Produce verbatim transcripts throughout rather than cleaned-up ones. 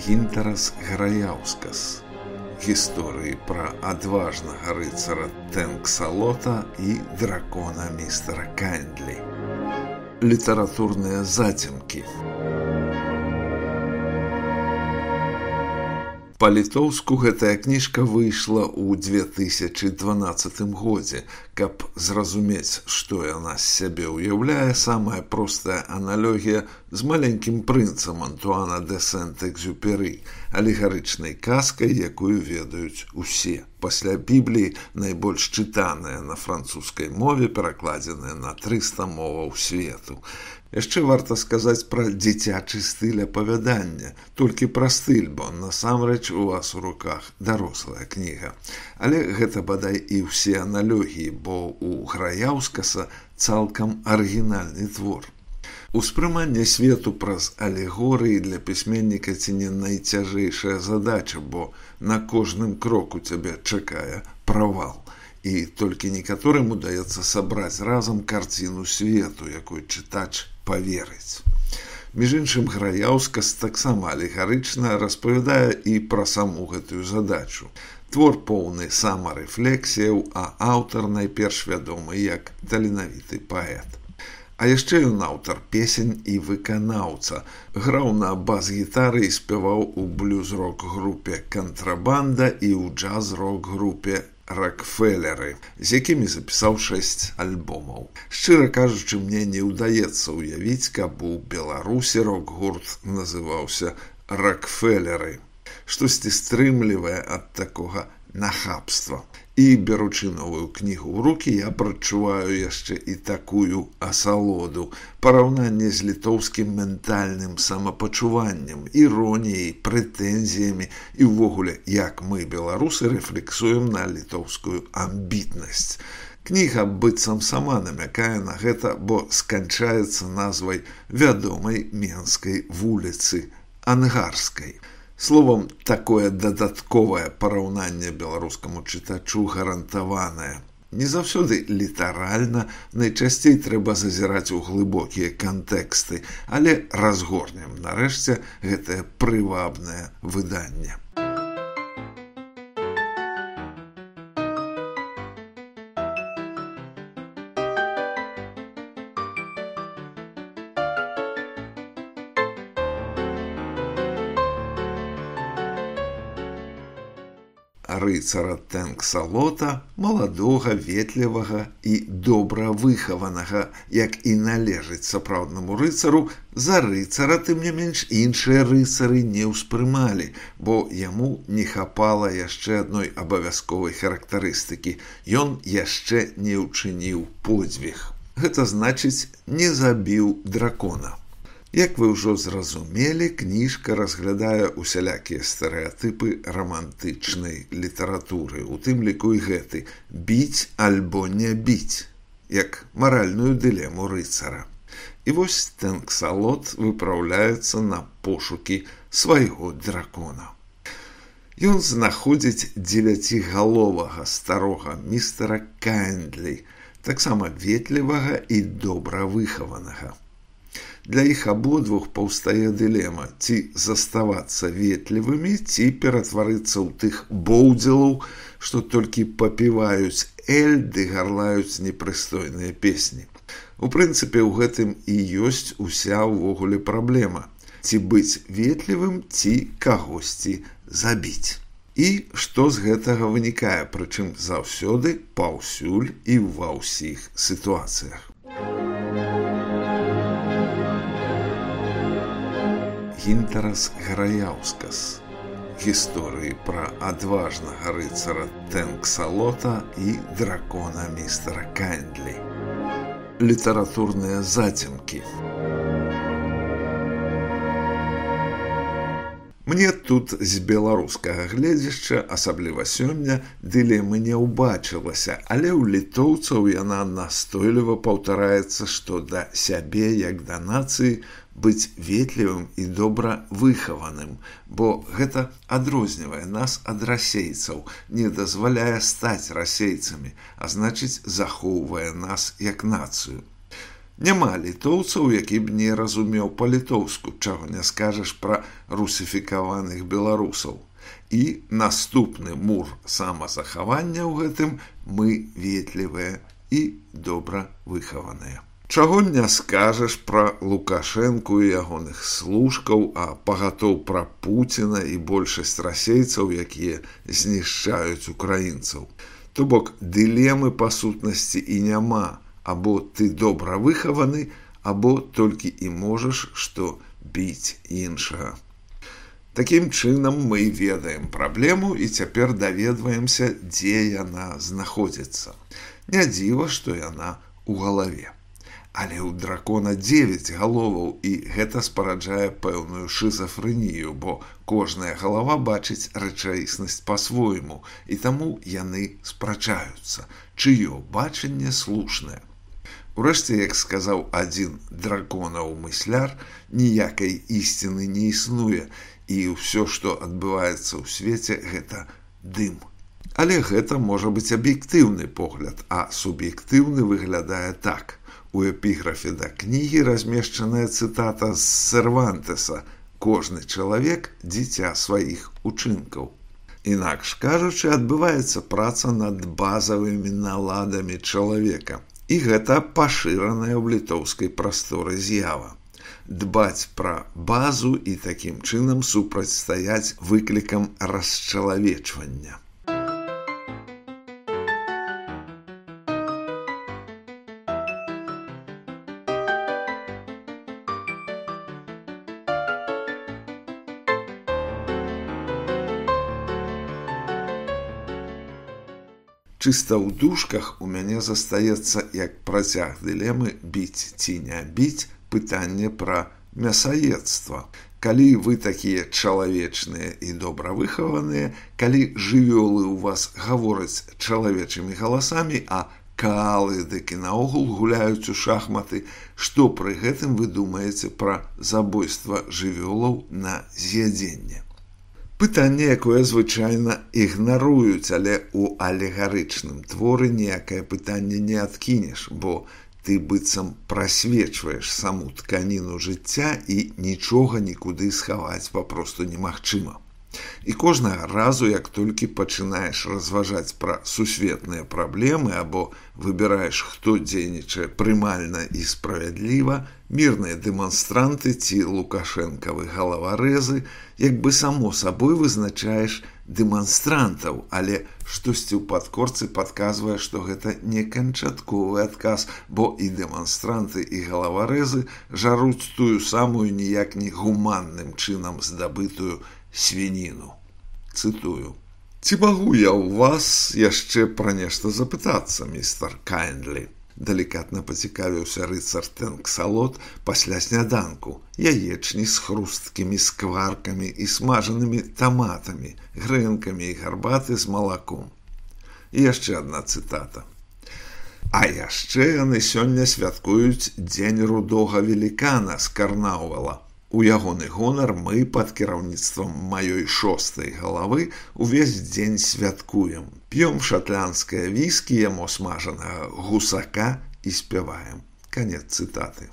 Гінтарас Граяўскас. Гісторыі пра адважнага рыцара Тэнксалота і дракона містера Кайндлі. Літаратурныя зацемкі. Па-літоўску гэтая кніжка выйшла ў две тысячы дванаццатым годзе. Каб зразумець, што яна з сябе ўяўляе, самая простая аналогія з маленькім прынцам Антуана де Сент-Экзюпері, алегарычнай казкай, якую ведаюць усе. Пасля Бібліі найбольш чытаная на французскай мове, перакладзеная на трыста моваў свету. Яшчэ варта сказаць пра дзіцячы стыль апавядання, толькі пра стыль, бо насамрэч у вас у руках дарослая кніга. Але гэта бадай і ўсе аналогіі, бо у Граяўскаса цалкам арыгінальны твор. Успрыманне свету праз алегорыі для пісьменніка ці не найцяжэйшая задача, бо на кожным кроку цябе чакае правал. І толькі некаторым удаецца сабраць разам карціну свету, якой чытач паверыць. Між іншым, Граяўскас таксама алегарычна распавядае і пра саму гэтую задачу. Твор поўны самарэфлексіяў, а аўтар найперш вядомы як таленавіты паэт. А яшчэ ён аўтар песень і выканаўца. Граў на бас-гітары і спяваў у блюз-рок-групе «Кантрабанда» і ў джаз-рок-групе «Рокфеллеры», з якімі запісаў шэсць альбомаў. Шчыра кажучы, мне не ўдаецца ўявіць, каб у Беларусі рок-гурт называўся «Рокфеллеры». Штосьці стрымлівае ад такога нахабства. І, беручы новую кнігу ў рукі, я прачуваю яшчэ і такую асалоду, параўнанне з літоўскім ментальным самапачуваннем, іроніяй, прэтэнзіямі і ўвогуле, як мы, беларусы, рэфлексуем на літоўскую амбітнасць. Кніга быццам сама намякае на гэта, бо сканчаецца назвай вядомай менскай вуліцы Ангарскай. Словом, такое дадатковае параўнанне беларускаму чытачу гарантаванае. Не заўсёды літаральна, найчасцей трэба зазіраць у глыбокія кантэксты, але разгорнем нарэшце гэтае прывабнае выданне. Рыцара Тэнксалота, маладога, ветлівага і добра выхаванага, як і належыць сапраўднаму рыцару, за рыцара, тым не менш, іншыя рыцары не ўспрымалі, бо яму не хапала яшчэ адной абавязковай характарыстыкі. Ён яшчэ не ўчыніў подзвіг. Гэта значыць, не забіў дракона. Як вы ўжо зразумелі, кніжка разглядае усялякія стэрэатыпы рамантычнай літаратуры, у тым ліку і гэты «біць альбо не біць», як маральную дылему рыцара. І вось Тэнксалот выпраўляецца на пошукі свайго дракона. Ён знаходзіць дзевяцігаловага старога містера Кайндлі, таксама ветлівага і добра выхаванага. Для іх абодвух паўстае дылема, ці заставацца ветлівымі, ці ператварыцца ў тых боўдзелаў, што толькі папіваюць эль ды гарлаюць непрыстойныя песні. У прынцыпе, у гэтым і ёсць уся ўвогуле праблема. Ці быць ветлівым, ці кагосьці забіць. І што з гэтага вынікае, прычым заўсёды, паўсюль і ва ўсіх сітуацыях. Гінтарас Граяўскас. Гісторыі пра адважнага рыцара Тэнксалота і дракона містера Кайндлі. Літаратурныя зацемкі. Мне тут з беларускага гледзяшча, асабліва сёння, дылемы не ўбачылася, але ў літоўцаў яна настойліва паўтараецца, што да сябе, як да нацыі, быць ветлівым і добра выхаваным, бо гэта адрознівае нас ад расейцаў, не дазваляе стаць расейцамі, а значыць захоўвае нас як нацыю. Няма літоўцаў, які б не разумеў па-літоўску, чаго не скажаш пра русіфікаваных беларусаў. І наступны мур самазахавання ў гэтым мы ветлівыя і добра выхаваныя. Чаго не скажаш пра Лукашэнку і ягоных служкаў, а пагатоў пра Пуціна і большасць расейцаў, якія знішчаюць украінцаў. То бок дылемы па сутнасці і няма, або ты добра выхаваны, або толькі і можаш, што біць іншага. Такім чынам мы ведаем праблему і цяпер даведваемся, дзе яна знаходзіцца. Не дзіва, што яна ў галаве. Але ў дракона дзевяць галоваў, і гэта спараджае пэўную шызафрэнію, бо кожная галава бачыць рэчаіснасць па-свойму, і таму яны спрачаюцца, чыё бачанне слушнае. Урэшце, як сказаў адзін драконаў мысляр, ніякай ісціны не існуе, і ўсё, што адбываецца ў свеце, гэта дым. Але гэта можа быць аб'ектыўны погляд, а суб'ектыўны выглядае так. У эпіграфе да кнігі размешчаная цытата з Сервантеса «Кожны чалавек – дзіця сваіх учынкаў». Інакш кажучы, адбываецца праца над базавымі наладамі чалавека. І гэта пашыраная ў літоўскай прасторы з'ява. Дбаць пра базу і такім чынам супрацьстаяць выклікам расчалавечвання. Чыста ў дужках у мяне застаецца як працяг дылемы біць ці не біць пытанне пра мясаедства. Калі вы такія чалавечныя і добра выхаваныя, калі жывёлы ў вас гавораць чалавечымі галасамі, а каалы дык і наогул гуляюць у шахматы, што пры гэтым вы думаеце пра забойства жывёлаў на з'ядзенне? Пытанне, якое звычайна ігнаруюць, але ў алегарычным творы ніякае пытанне не адкінеш, бо ты быццам прасвечваеш саму тканіну жыцця і нічога нікуды схаваць папросту немагчыма. І кожнага разу, як толькі пачынаеш разважаць пра сусветныя праблемы або выбіраеш, хто дзейнічае прымальна і справядліва, мірныя дэманстранты ці лукашэнкавы галаварэзы, як бы само сабой вызначаеш дэманстрантаў, але штосьці ў падкорцы падказвае, што гэта не канчатковы адказ, бо і дэманстранты, і галаварэзы жаруць тую самую ніяк не гуманным чынам здабытую свініну. Цытую. «Ці магу я ў вас яшчэ пра нешта запытацца, містер Кайндлі?» Далікатна пацікавіўся рыцар Тэнксалот пасля сняданку, яечні з хрусткімі скваркамі і смажанымі таматамі, грэнкамі і гарбаты з малаком. І яшчэ адна цытата. «А яшчэ яны сёння святкуюць дзень рудога велікана з Карнаўвала. У ягоны гонар мы пад кіраўніцтвам маёй шостай галавы увесь дзень святкуем. П'ём шатландскае віскі, ямо смажанага гусака і спяваем». Канец цытаты.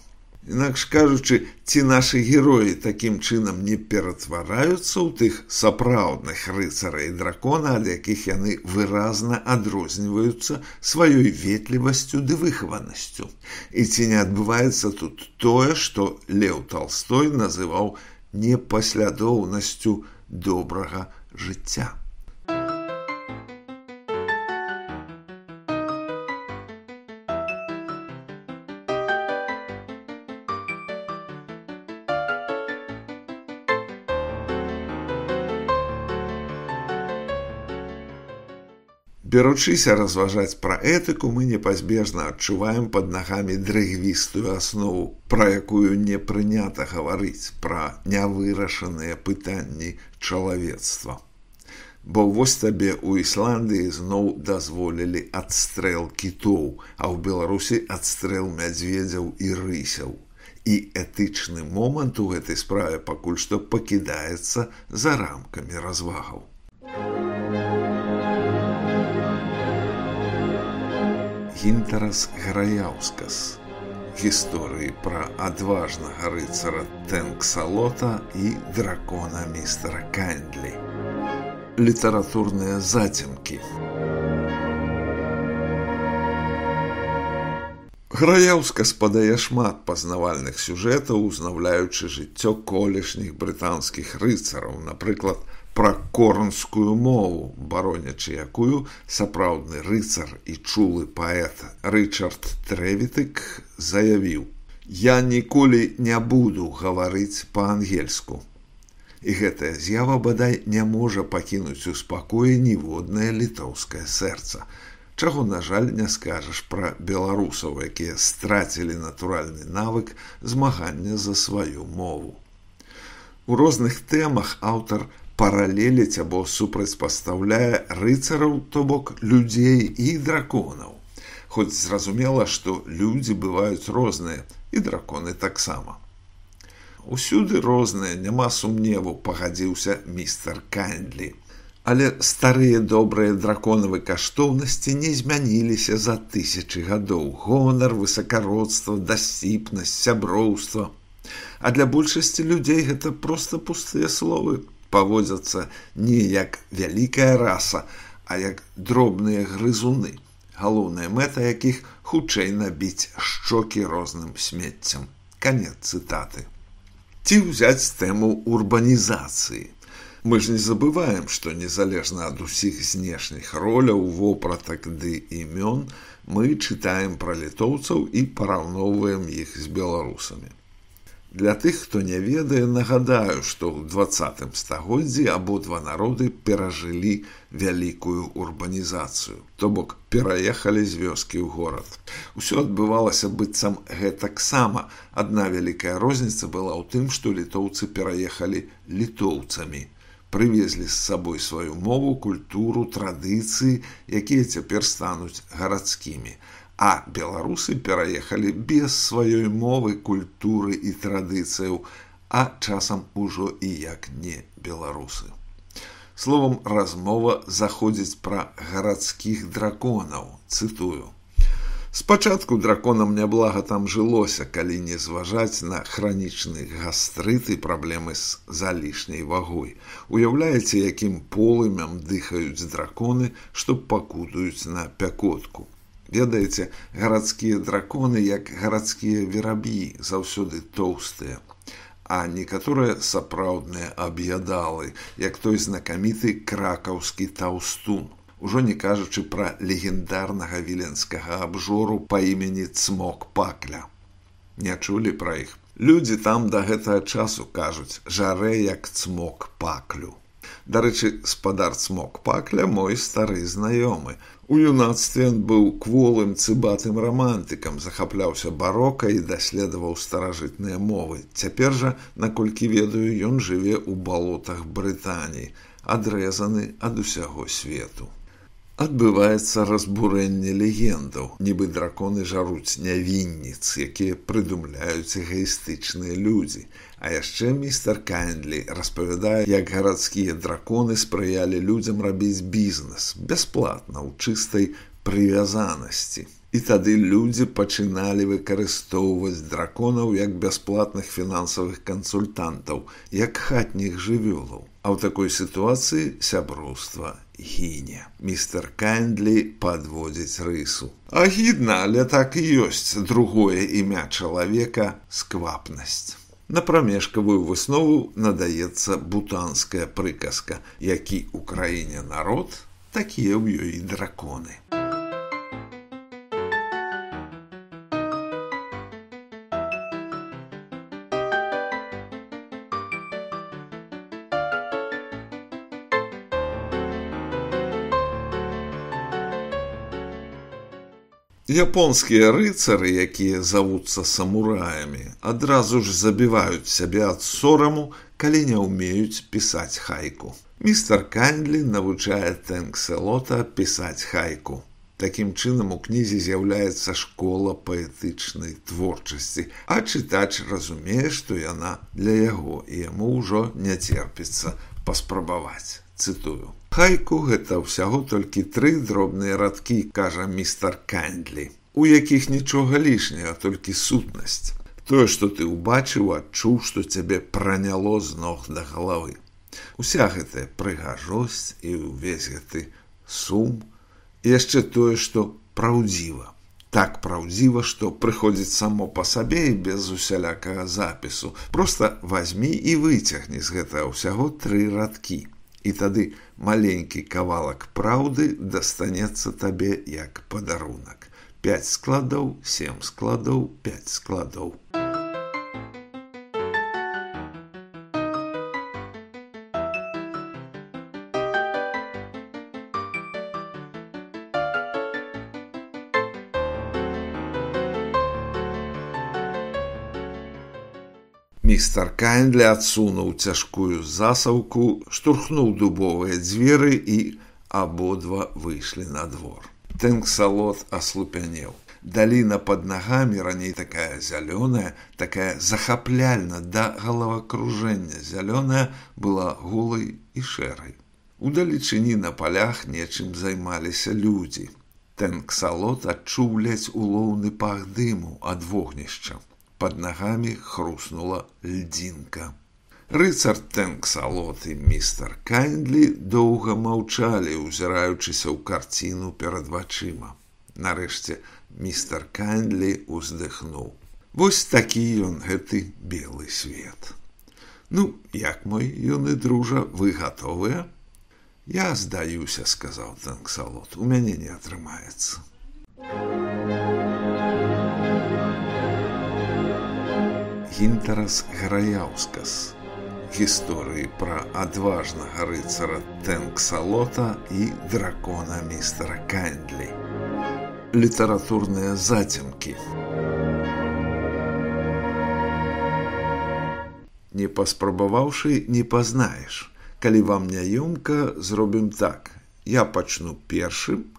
Інакш кажучы, ці нашы героі такім чынам не ператвараюцца ў тых сапраўдных рыцарэй дракона, ад якіх яны выразна адрозніваюцца сваёй ветлівасцю ды выхаванасцю. І ці не адбываецца тут тое, што Леў Талстой называў непаслядоўнасцю добрага жыцця. Беручыся разважаць пра этыку, мы непазбежна адчуваем пад нагамі дрыгвістую аснову, пра якую не прынята гаварыць, пра нявырашаныя пытанні чалавецтва. Бо вось табе ў Ісландыі зноў дазволілі адстрэл кітоў, а ў Беларусі адстрэл мядзведзяў і рысяў. І этычны момант у гэтай справе пакуль што пакідаецца за рамкамі развагаў. Гінтарас Граяўскас. гісторыі пра адважнага рыцара Тэнксалота і дракона містера Кайндлі. Літаратурныя зацемкі. Граеўска спадае шмат пазнавальных сюжэтаў, узнаўляючы жыццё колішніх брытанскіх рыцараў, напрыклад, пра корнскую мову, баронячы якую сапраўдны рыцар і чулы паэт Рычард Трэвітык заявіў: «Я ніколі не буду гаварыць па-ангельску». І гэтая з'ява, бадай, не можа пакінуць у спакоі ніводнае літоўскае сэрца, чаго, на жаль, не скажаш пра беларусаў, якія страцілі натуральны навык змагання за сваю мову. У розных тэмах аўтар паралеліць або супрацьпастаўляе рыцараў, то бок людзей і драконаў. Хоць зразумела, што людзі бываюць розныя, і драконы таксама. Усюды розныя, няма сумневу, пагадзіўся містер Кайндлі. Але старыя добрыя драконавы каштоўнасці не змяніліся за тысячы гадоў. Гонар, высакародства, дасціпнасць, сяброўства. А для большасці людзей гэта проста пустыя словы. Паводзяцца не як вялікая раса, а як дробныя грызуны, галоўная мэта якіх хутчэй набіць шчокі розным смеццям. Канец цытаты. Ці ўзяць тэму урбанізацыі. Мы ж не забываем, што незалежна ад усіх знешніх роляў, вопратак ды імён, мы чытаем пра літоўцаў і параўноўваем іх з беларусамі. Для тых, хто не ведае, нагадаю, што ў дваццатым стагоддзі абодва народы перажылі вялікую урбанізацыю, то бок пераехалі з вёскі ў горад. Усё адбывалася быццам гэтаксама. Адна вялікая розніца была ў тым, што літоўцы пераехалі літоўцамі, прывезлі з сабой сваю мову, культуру, традыцыі, якія цяпер стануць гарадскімі. А беларусы пераехалі без сваёй мовы, культуры і традыцыяў, а часам ужо і як не беларусы. Словам, размова заходзіць пра гарадскіх драконаў, цытую. Спачатку драконам няблага там жылося, калі не зважаць на хранічны гастрыт і праблемы з залішняй вагой. Уяўляеце, якім полымям дыхаюць драконы, што пакутаюць на пякотку. Ведаеце, гарадскія драконы, як гарадскія вераб'і, заўсёды тоўстыя, а некаторыя сапраўдныя аб'ядалы, як той знакаміты кракаўскі таўстун, ужо не кажучы пра легендарнага віленскага абжору па імені Цмок Пакля. Не чулі пра іх? Людзі там да гэтага часу кажуць: «Жарэ як Цмок Паклю». Дарэчы, спадар Цмок Пакля мой стары знаёмы. У юнацтве ён быў кволым цыбатым рамантыкам, захапляўся барока і даследаваў старажытныя мовы. Цяпер жа, наколькі ведаю, ён жыве ў балотах Брытаніі, адрэзаны ад усяго свету. Адбываецца разбурэнне легендаў, нібы драконы жаруць нявінніц, якія прыдумляюць эгаістычныя людзі. А яшчэ містер Кайндлі распавядае, як гарадскія драконы спрыялі людзям рабіць бізнес бясплатна, ў чыстай прывязанасці. І тады людзі пачыналі выкарыстоўваць драконаў як бясплатных фінансавых кансультантаў, як хатніх жывёлаў. А ў такой сітуацыі сяброўства гіне. Містер Кайндлі падводзіць рысу. Агідна, але так і ёсць другое імя чалавека – сквапнасць. На прамежкавую выснову надаецца бутанская прыказка: які ў краіне народ, такія ў ёй і драконы. Японскія рыцары, якія завуцца самураямі, адразу ж забіваюць сябе ад сораму, калі не ўмеюць пісаць хайку. Містер Кайндлі навучае Тэнксалота пісаць хайку. Такім чынам у кнізе з'яўляецца школа паэтычнай творчасці, а чытач разумее, што яна для яго, і яму ўжо не церпіцца паспрабаваць. Цытую. Хайку гэта ўсяго толькі тры дробныя радкі, кажа містер Кайндлі. у якіх нічога лішняга, толькі сутнасць. Тое, што ты ўбачыў, адчуў, што цябе праняло з ног да галавы. Уся гэтая прыгажосць і ўвесь гэты сум, і яшчэ тое, што праўдзіва. Так праўдзіва, што прыходзіць само па сабе і без усялякага запісу. Проста вазьмі і выцягні з гэтага ўсяго тры радкі. І тады маленькі кавалак праўды дастанецца табе як падарунак. Пяць складоў, сем складоў, пяць складоў. Містер Кайндлі адсунуў цяжкую засаўку, штурхнуў дубовыя дзверы і абодва выйшлі на двор. Тэнксалот аслупянеў. Даліна пад нагамі, раней такая зялёная, такая захапляльна да галавакружэння зялёная, была голай і шэрай. Удалечыні на палях нечым займаліся людзі. Тэнксалот адчуў ледзь улоўны пах дыму ад вогнішча. Пад нагамі хруснула льдзінка. Рыцар Тэнксалот і містер Кайндлі доўга маўчалі, узіраючыся ў карціну перад вачыма. Нарэшце містер Кайндлі ўздыхнуў. Вось такі ён, гэты белы свет. Ну, як мой юны дружа, вы гатовыя? Я здаюся, сказаў Тэнксалот, у мяне не атрымаецца. Гінтарас Граяўскас. Гісторыі пра адважнага рыцара Тэнксалота і дракона містера Кайндлі. Літаратурныя зацемкі. Не паспрабаваўшы, не пазнаеш. Калі вам няёмка, зробім так. Я пачну першым,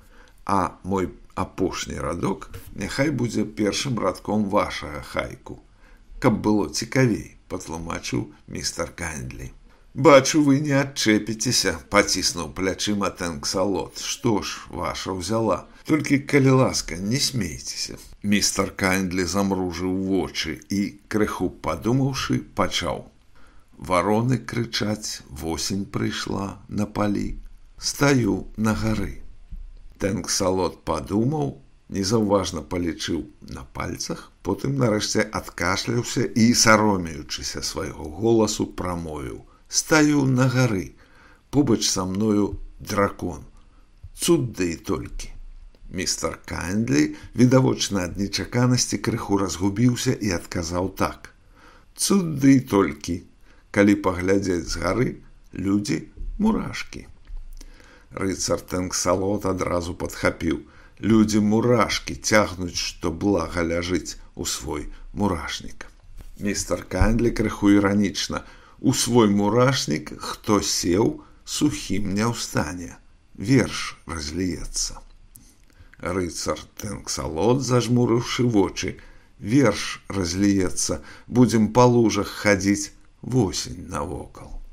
а мой апошні радок няхай будзе першым радком вашага хайку. Каб было цікавей, патлумачыў містер Кайндлі. Бачу, вы не адчэпіцеся, паціснуў плячыма Тэнксалот. Што ж, ваша ўзяла. Толькі, калі ласка, не смейцеся. Містер Кайндлі замружыў вочы і, крыху падумаўшы, пачаў. Вароны крычаць, восень прыйшла на палі. Стаю на гары. Тэнксалот падумаў, незаўважна палічыў на пальцах, потым нарэшце адкашляўся і, саромеючыся свайго голасу, прамовіў. Стаю на гары, побач са мною дракон. Цуд да і толькі. Містер Кайндлі, відавочна ад нечаканасці, крыху разгубіўся і адказаў так. Цуд да і толькі. Калі паглядзець з гары, людзі мурашкі. Рыцар Тэнксалот адразу падхапіў. Людзі-мурашкі цягнуць, што блага ляжыць у свой мурашнік. Містер Кайндлі крыху іранічна. У свой мурашнік, хто сеў, сухім не ўстане. Верш разліецца. Рыцар Тэнксалот, зажмурыўшы вочы. Верш разліецца. Будзем па лужах хадзіць, восень навокал.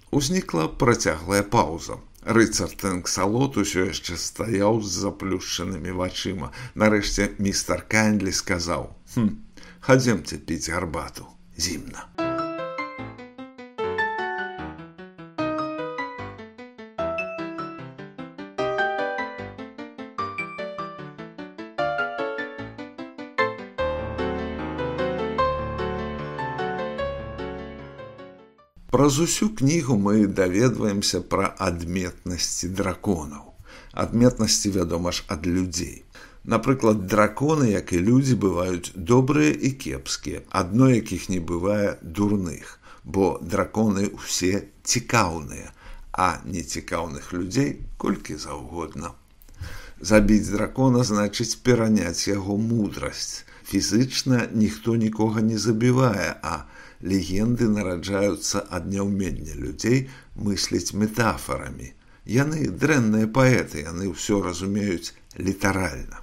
Узнікла працяглая паўза. Рыцар Тэнксалот усё яшчэ стаяў з заплюшчанымі вачыма. Нарэшце містер Кайндлі сказаў. Хм, хадземце піць гарбату. Зімна. Праз усю кнігу мы даведваемся пра адметнасці драконаў. Адметнасці, вядома ж, ад людзей. Напрыклад, драконы, як і людзі, бываюць добрыя і кепскія, адно якіх не бывае дурных, бо драконы ўсе цікаўныя, а нецікаўных людзей колькі заўгодна. Забіць дракона значыць пераняць яго мудрасць. Фізычна ніхто нікога не забівае, а легенды нараджаюцца ад няўмення людзей мысліць метафорамі. Яны дрэнныя паэты, яны ўсё разумеюць літаральна.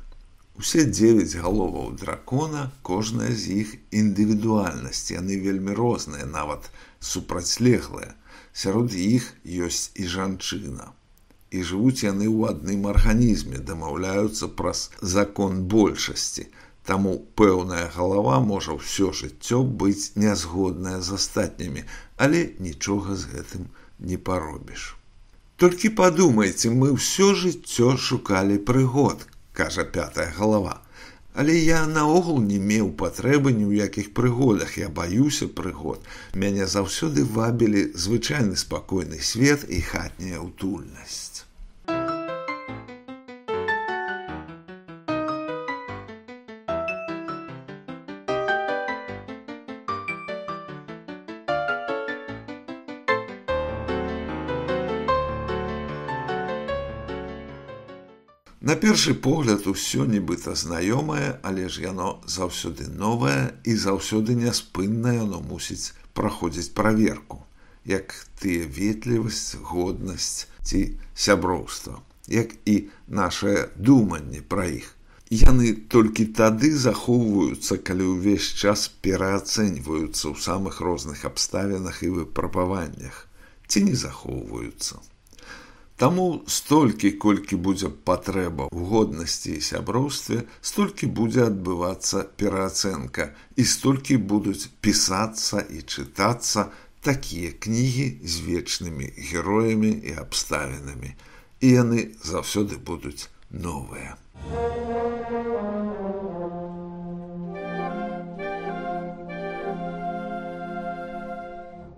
Усе дзевяць галоваў дракона, кожная з іх індывідуальнасць, яны вельмі розныя, нават супрацьлеглыя. Сярод іх ёсць і жанчына. і жывуць яны ў адным арганізме, дамаўляюцца праз закон большасці. Таму пэўная галава можа ўсё жыццё быць нязгодная з астатнімі, але нічога з гэтым не паробіш. Толькі падумайце, мы ўсё жыццё шукалі прыгод, кажа пятая галава. Але я наогул не меў патрэбы ні ў якіх прыгодах, я баюся прыгод. Мяне заўсёды вабілі звычайны спакойны свет і хатняя ўтульнасць. На першы погляд усё нібыта знаёмае, але ж яно заўсёды новае і заўсёды няспынна яно мусіць праходзіць праверку, як тыя ветлівасць, годнасць ці сяброўства, як і нашае думанне пра іх. Яны толькі тады захоўваюцца, калі ўвесь час пераацэньваюцца ў самых розных абставінах і выпрабаваннях, ці не захоўваюцца. Таму столькі, колькі будзе патрэба ў годнасці і сяброўстве, столькі будзе адбывацца пераацэнка, і столькі будуць пісацца і чытацца такія кнігі з вечнымі героямі і абставінамі. І яны заўсёды будуць новыя.